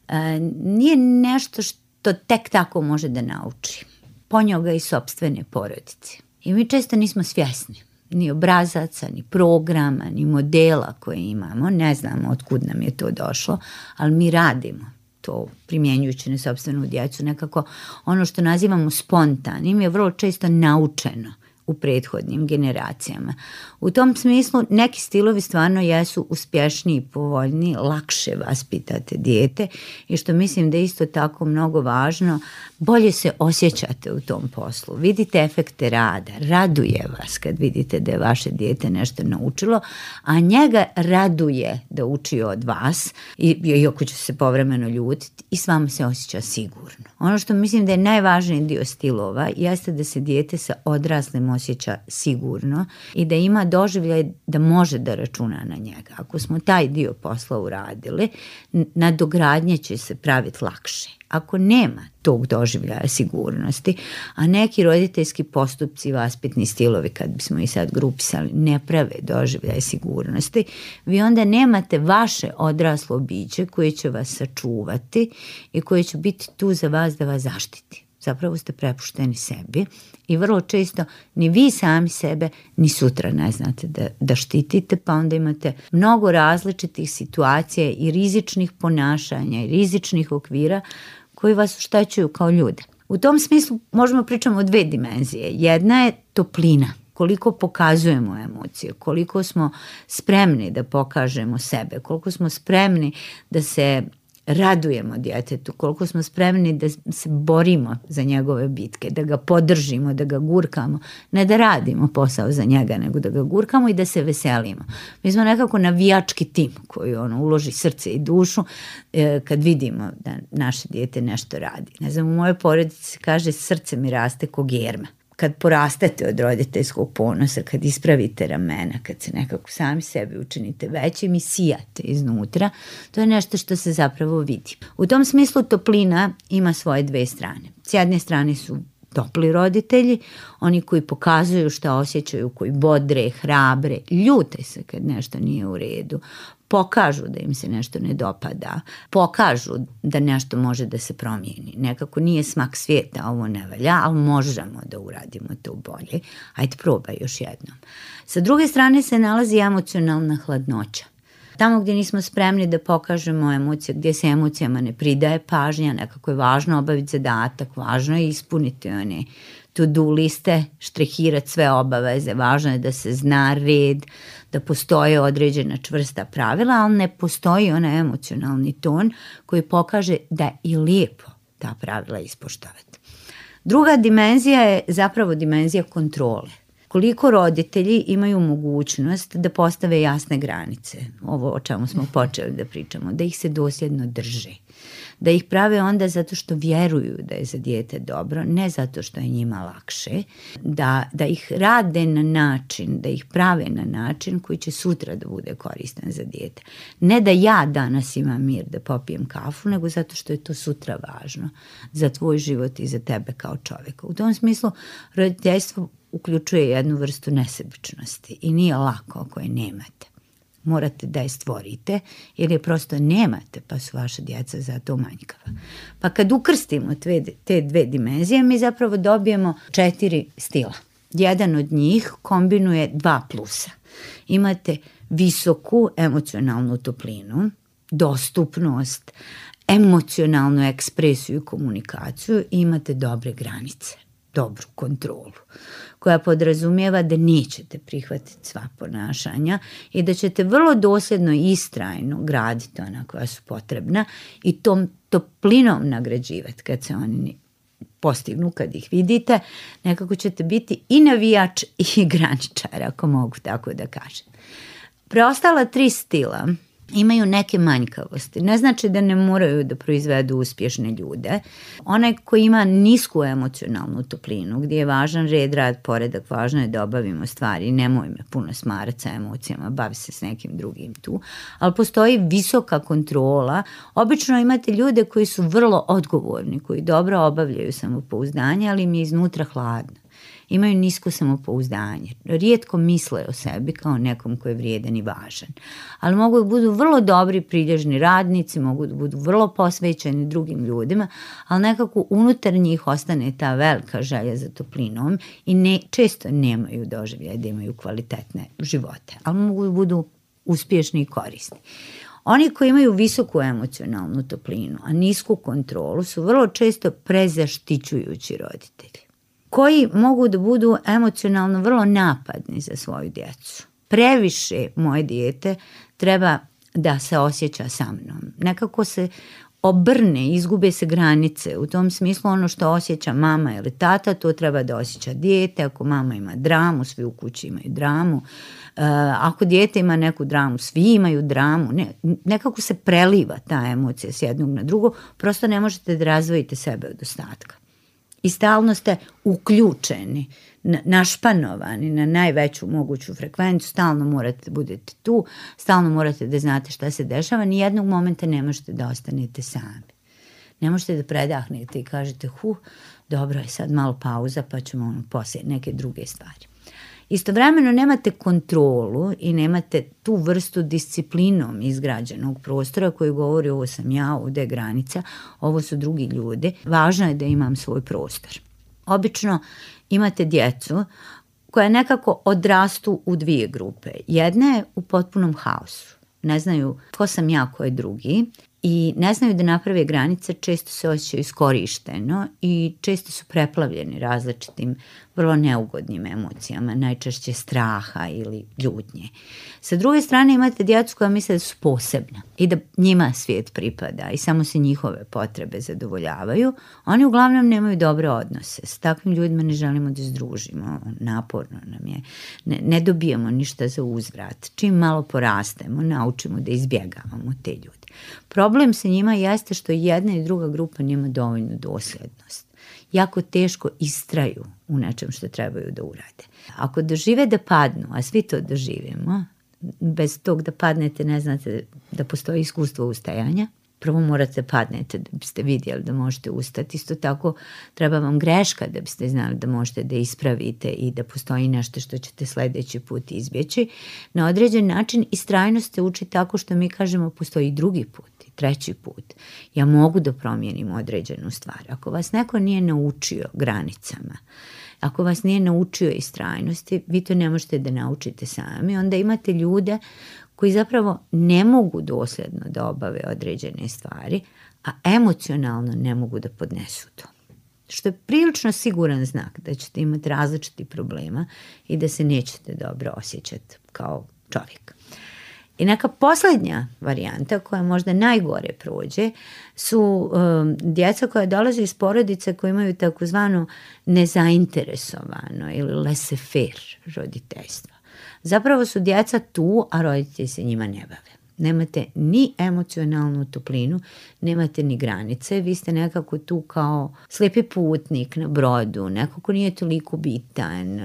e, nije nešto što tek tako može da nauči. Ponio ga i sopstvene porodice. I mi često nismo svjesni ni obrazaca, ni programa, ni modela koje imamo. Ne znamo otkud nam je to došlo, ali mi radimo to primjenjujući na sopstvenu djecu. Nekako ono što nazivamo spontanim je vrlo često naučeno u prethodnim generacijama. U tom smislu neki stilovi stvarno jesu uspješniji, povoljniji, lakše vaspitate dijete i što mislim da je isto tako mnogo važno, bolje se osjećate u tom poslu. Vidite efekte rada, raduje vas kad vidite da je vaše dijete nešto naučilo, a njega raduje da uči od vas, iako će se povremeno ljutiti i s vama se osjeća sigurno. Ono što mislim da je najvažniji dio stilova jeste da se dijete sa odraslim osjeća sigurno i da ima doživljaj da može da računa na njega. Ako smo taj dio posla uradili, nadogradnje će se praviti lakše. Ako nema tog doživljaja sigurnosti, a neki roditeljski postupci, vaspitni stilovi, kad bismo i sad grupisali, ne prave doživljaj sigurnosti, vi onda nemate vaše odraslo biće koje će vas sačuvati i koje će biti tu za vas da vas zaštiti. Zapravo ste prepušteni sebi i vrlo često ni vi sami sebe ni sutra ne znate da, da štitite, pa onda imate mnogo različitih situacija i rizičnih ponašanja i rizičnih okvira koji vas oštećuju kao ljude. U tom smislu možemo pričati o dve dimenzije. Jedna je toplina, koliko pokazujemo emocije, koliko smo spremni da pokažemo sebe, koliko smo spremni da se radujemo djetetu, koliko smo spremni da se borimo za njegove bitke, da ga podržimo, da ga gurkamo, ne da radimo posao za njega, nego da ga gurkamo i da se veselimo. Mi smo nekako navijački tim koji ono, uloži srce i dušu e, kad vidimo da naše dijete nešto radi. Ne znam, u mojoj porodici se kaže srce mi raste ko germa. kad porastete od roditeljskog ponosa, kad ispravite ramena, kad se nekako sami sebi učinite većim i sijate iznutra, to je nešto što se zapravo vidi. U tom smislu toplina ima svoje dve strane. S jedne strane su topli roditelji, oni koji pokazuju šta osjećaju, koji bodre, hrabre, ljute se kad nešto nije u redu, pokažu da im se nešto ne dopada, pokažu da nešto može da se promijeni. Nekako nije smak svijeta, ovo ne valja, ali možemo da uradimo to bolje. Ajde, probaj još jednom. Sa druge strane se nalazi emocionalna hladnoća. Tamo gdje nismo spremni da pokažemo emocije, gdje se emocijama ne pridaje pažnja, nekako je važno obaviti zadatak, važno je ispuniti one to-do liste, štrihirati sve obaveze, važno je da se zna red, da postoje određena čvrsta pravila, ali ne postoji onaj emocionalni ton koji pokaže da je i lijepo ta pravila ispoštovati. Druga dimenzija je zapravo dimenzija kontrole. Koliko roditelji imaju mogućnost da postave jasne granice, ovo o čemu smo počeli da pričamo, da ih se dosljedno drže, da ih prave onda zato što vjeruju da je za dijete dobro, ne zato što je njima lakše, da, da ih rade na način, da ih prave na način koji će sutra da bude koristan za dijete. Ne da ja danas imam mir da popijem kafu, nego zato što je to sutra važno za tvoj život i za tebe kao čovjeka. U tom smislu roditeljstvo uključuje jednu vrstu nesebičnosti i nije lako ako je nemate. Morate da je stvorite jer je prosto nemate, pa su vaša djeca zato manjkava. Pa kad ukrstimo te, te dve dimenzije, mi zapravo dobijemo četiri stila. Jedan od njih kombinuje dva plusa. Imate visoku emocionalnu toplinu, dostupnost, emocionalnu ekspresiju i komunikaciju i imate dobre granice, dobru kontrolu, koja podrazumijeva da nećete prihvatiti sva ponašanja i da ćete vrlo dosljedno i istrajno graditi ona koja su potrebna i tom toplinom nagrađivati kad se oni postignu, kad ih vidite. Nekako ćete biti i navijač i graničar, ako mogu tako da kažem. Preostala tri stila imaju neke manjkavosti. Ne znači da ne moraju da proizvedu uspješne ljude. Onaj koji ima nisku emocionalnu toplinu, gdje je važan red, rad, poredak, važno je da obavimo stvari, nemoj me puno smarati sa emocijama, bavi se s nekim drugim tu, ali postoji visoka kontrola. Obično imate ljude koji su vrlo odgovorni, koji dobro obavljaju samopouzdanje, ali im je iznutra hladno. Imaju nisko samopouzdanje, rijetko misle o sebi kao nekom koji je vrijedan i važan, ali mogu da budu vrlo dobri prilježni radnici, mogu da budu vrlo posvećeni drugim ljudima, ali nekako unutar njih ostane ta velika želja za toplinom i ne, često nemaju doživljaja da imaju kvalitetne živote, ali mogu da budu uspješni i korisni. Oni koji imaju visoku emocionalnu toplinu, a nisku kontrolu, su vrlo često prezaštićujući roditelji, koji mogu da budu emocionalno vrlo napadni za svoju djecu. Previše moje dijete treba da se osjeća sa mnom. Nekako se obrne, izgube se granice. U tom smislu ono što osjeća mama ili tata, to treba da osjeća dijete. Ako mama ima dramu, svi u kući imaju dramu. Uh, ako dijete ima neku dramu, svi imaju dramu. Ne, nekako se preliva ta emocija s jednog na drugo. Prosto ne možete da razvojite sebe od ostatka. I stalno ste uključeni, našpanovani na najveću moguću frekvenciju, stalno morate da budete tu, stalno morate da znate šta se dešava, ni jednog momenta ne možete da ostanete sami. Ne možete da predahnete i kažete, hu, dobro je sad malo pauza pa ćemo ono poslije neke druge stvari. Istovremeno nemate kontrolu i nemate tu vrstu disciplinom izgrađenog prostora koji govori ovo sam ja, ovdje je granica, ovo su drugi ljudi. Važno je da imam svoj prostor. Obično imate djecu koja nekako odrastu u dvije grupe. Jedna je u potpunom haosu. Ne znaju ko sam ja, ko je drugi i ne znaju da naprave granice, često se osjećaju iskorišteno i često su preplavljeni različitim vrlo neugodnim emocijama, najčešće straha ili ljutnje. Sa druge strane imate djecu koja misle da su posebna i da njima svijet pripada i samo se njihove potrebe zadovoljavaju. Oni uglavnom nemaju dobre odnose. S takvim ljudima ne želimo da združimo. Naporno nam je. Ne, ne dobijamo ništa za uzvrat. Čim malo porastemo, naučimo da izbjegavamo te ljude. Problem sa njima jeste što jedna i druga grupa nema dovoljnu dosljednost. jako teško istraju u nečem što trebaju da urade. Ako dožive da padnu, a svi to doživimo, bez tog da padnete ne znate da postoji iskustvo ustajanja. Prvo morate padnete da biste vidjeli da možete ustati. Isto tako treba vam greška da biste znali da možete da ispravite i da postoji nešto što ćete sledeći put izbjeći. Na određen način istrajnost se uči tako što mi kažemo postoji drugi put i treći put. Ja mogu da promijenim određenu stvar. Ako vas neko nije naučio granicama, ako vas nije naučio istrajnosti, vi to ne možete da naučite sami. Onda imate ljude koji zapravo ne mogu dosljedno da obave određene stvari, a emocionalno ne mogu da podnesu to. Što je prilično siguran znak da ćete imati različiti problema i da se nećete dobro osjećati kao čovjek. I neka posljednja varijanta koja možda najgore prođe su um, djeca koja dolaze iz porodice koje imaju takozvano nezainteresovano ili laissez-faire roditeljstvo. Zapravo su djeca tu, a roditelji se njima ne bave. Nemate ni emocionalnu toplinu, nemate ni granice, vi ste nekako tu kao slijepi putnik na brodu, neko ko nije toliko bitan,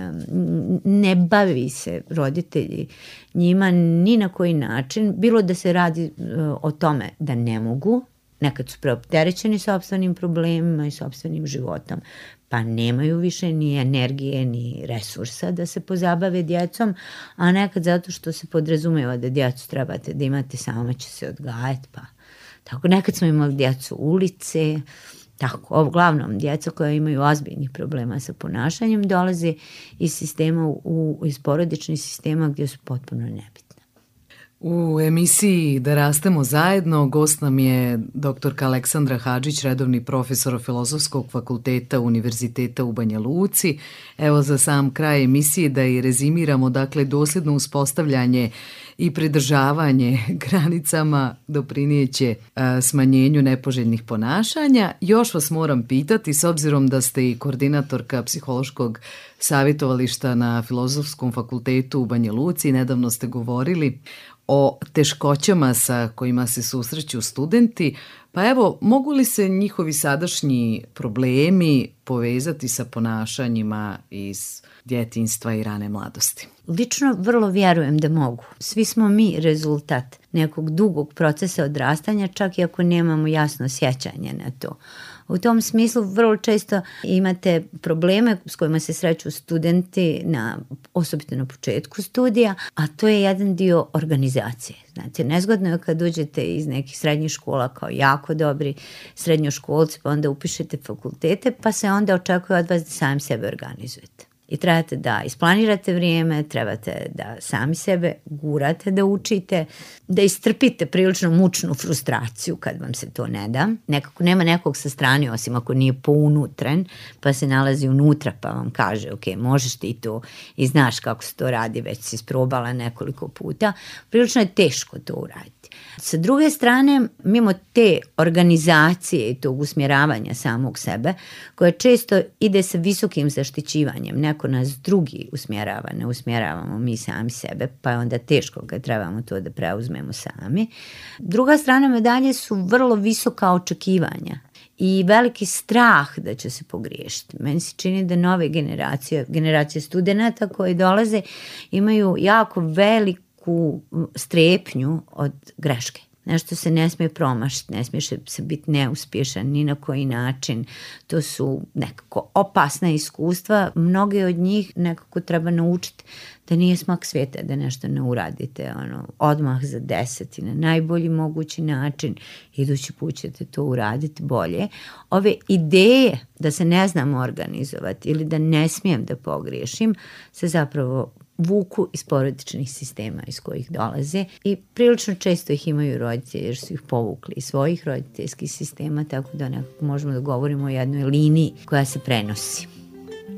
ne bavi se roditelji njima ni na koji način, bilo da se radi o tome da ne mogu, nekad su preopterećeni sopstvenim problemima i sopstvenim životom, pa nemaju više ni energije ni resursa da se pozabave djecom, a nekad zato što se podrazumeva da djecu trebate da imate, sama će se odgajati, pa tako nekad smo imali djecu ulice, tako, uglavnom djeca koja imaju ozbiljnih problema sa ponašanjem dolaze iz sistema, u, iz porodičnih sistema gdje su potpuno nebitni.
U emisiji Da rastemo zajedno gost nam je doktorka Aleksandra Hadžić, redovni profesor Filozofskog fakulteta Univerziteta u Banja Luci. Evo za sam kraj emisije da i rezimiramo, dakle dosljedno uspostavljanje i pridržavanje granicama doprinijeće smanjenju nepoželjnih ponašanja. Još vas moram pitati, s obzirom da ste i koordinatorka psihološkog savjetovališta na Filozofskom fakultetu u Banja Luci, nedavno ste govorili o teškoćama sa kojima se susreću studenti, pa evo, mogu li se njihovi sadašnji problemi povezati sa ponašanjima iz djetinjstva i rane mladosti?
Lično vrlo vjerujem da mogu. Svi smo mi rezultat nekog dugog procesa odrastanja, čak i ako nemamo jasno sjećanje na to. U tom smislu vrlo često imate probleme s kojima se sreću studenti, na, osobito na početku studija, a to je jedan dio organizacije. Znate, nezgodno je kad uđete iz nekih srednjih škola kao jako dobri srednjoškolci, pa onda upišete fakultete, pa se onda očekuje od vas da sami sebe organizujete. I trebate da isplanirate vrijeme, trebate da sami sebe gurate da učite, da istrpite prilično mučnu frustraciju kad vam se to ne da. Nekako nema nekog sa strane, osim ako nije pounutren, pa se nalazi unutra pa vam kaže ok, možeš ti to i znaš kako se to radi, već si isprobala nekoliko puta. Prilično je teško to uraditi. Sa druge strane, mimo te organizacije i tog usmjeravanja samog sebe, koje često ide sa visokim zaštićivanjem, neko nas drugi usmjerava, ne usmjeravamo mi sami sebe, pa je onda teško kad trebamo to da preuzmemo sami. Druga strana medalje su vrlo visoka očekivanja i veliki strah da će se pogriješiti. Meni se čini da nove generacije, generacije studenata koji dolaze, imaju jako veliku strepnju od greške. Nešto se ne smije promašiti, ne smije se biti neuspješan ni na koji način. To su nekako opasna iskustva. Mnoge od njih nekako treba naučiti da nije smak svijeta da nešto ne uradite ono, odmah za deset i na najbolji mogući način. Idući put ćete to uraditi bolje. Ove ideje da se ne znam organizovati ili da ne smijem da pogriješim se zapravo vuku iz porodičnih sistema iz kojih dolaze i prilično često ih imaju roditelji jer su ih povukli iz svojih roditeljskih sistema, tako da nekako možemo da govorimo o jednoj liniji koja se prenosi.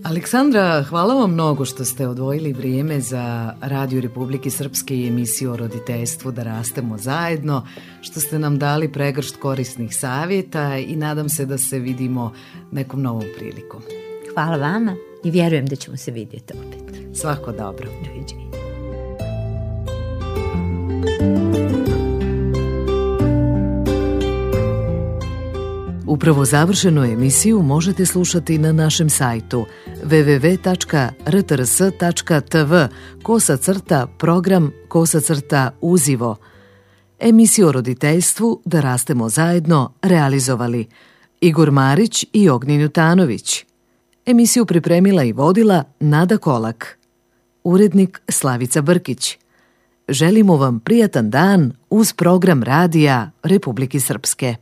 Aleksandra, hvala vam mnogo što ste odvojili vrijeme za Radio Republike Srpske i emisiju o roditeljstvu Da rastemo zajedno, što ste nam dali pregršt korisnih savjeta i nadam se da se vidimo nekom novom prilikom.
Hvala vama i vjerujem da ćemo se vidjeti opet.
Svako dobro.
Doviđenja.
Upravo završenu emisiju možete slušati na našem sajtu w w w tačka r t r s tačka t v kosa crta program kosa crta uzivo. Emisiju o roditeljstvu Da rastemo zajedno realizovali Igor Marić i Ognjen Jutanović. Emisiju pripremila i vodila Nada Kolak. Urednik Slavica Brkić. Želimo vam prijatan dan uz program radija Republike Srpske.